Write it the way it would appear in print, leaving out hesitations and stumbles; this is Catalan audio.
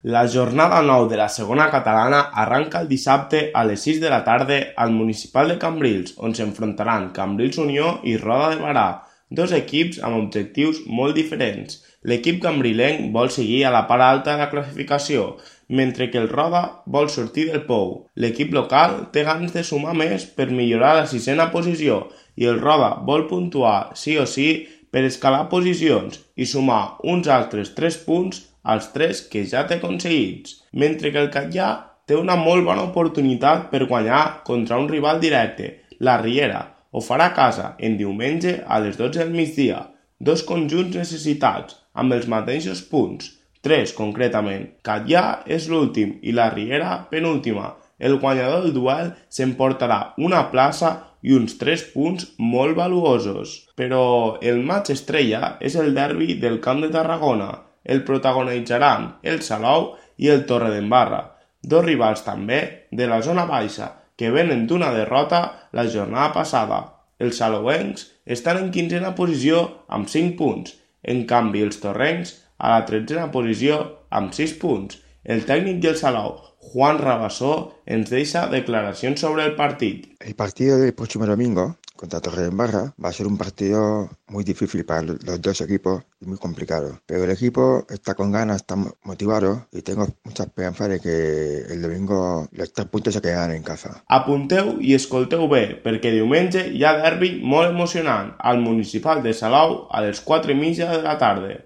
La jornada 9 de la segona catalana arranca el dissabte a les 6 de la tarda al Municipal de Cambrils, on s'enfrontaran Cambrils Unió i Roda de Berà, dos equips amb objectius molt diferents. L'equip cambrilenc vol seguir a la part alta de la classificació, mentre que el Roda vol sortir del pou. L'equip local té ganes de sumar més per millorar la sisena posició i el Roda vol puntuar sí o sí per escalar posicions i sumar uns altres 3 punts als 3 que ja té aconseguits, mentre que el Catllà té una molt bona oportunitat per guanyar contra un rival directe, la Riera. Ho farà a casa en diumenge a les 12 del migdia. Dos conjunts necessitats, amb els mateixos punts, 3 concretament. Catllà és l'últim i la Riera penúltima. El guanyador del duel s'emportarà una plaça i uns 3 punts molt valuosos. Però el matx estrella és el derbi del Camp de Tarragona. El protagonitzaran el Salou i el Torredembarra, dos rivals també de la zona baixa que venen d'una derrota la jornada passada. Els salouencs estan en 15a posició amb 5 punts, en canvi els torrencs a la 13a posició amb 6 punts. El tècnic del Salou, Juan Rabassó, ens deixa declaracions sobre el partit. El partido del próximo domingo contra Torredembarra va a ser un partido muy difícil para los dos equipos y muy complicado. Pero el equipo está con ganas, está motivado y tengo mucha esperanza de que el domingo los 3 puntos se quedan en casa. Apunteu i escolteu bé, perquè diumenge hi ha derbi molt emocionant al Municipal de Salou a les 4:30 de la tarda.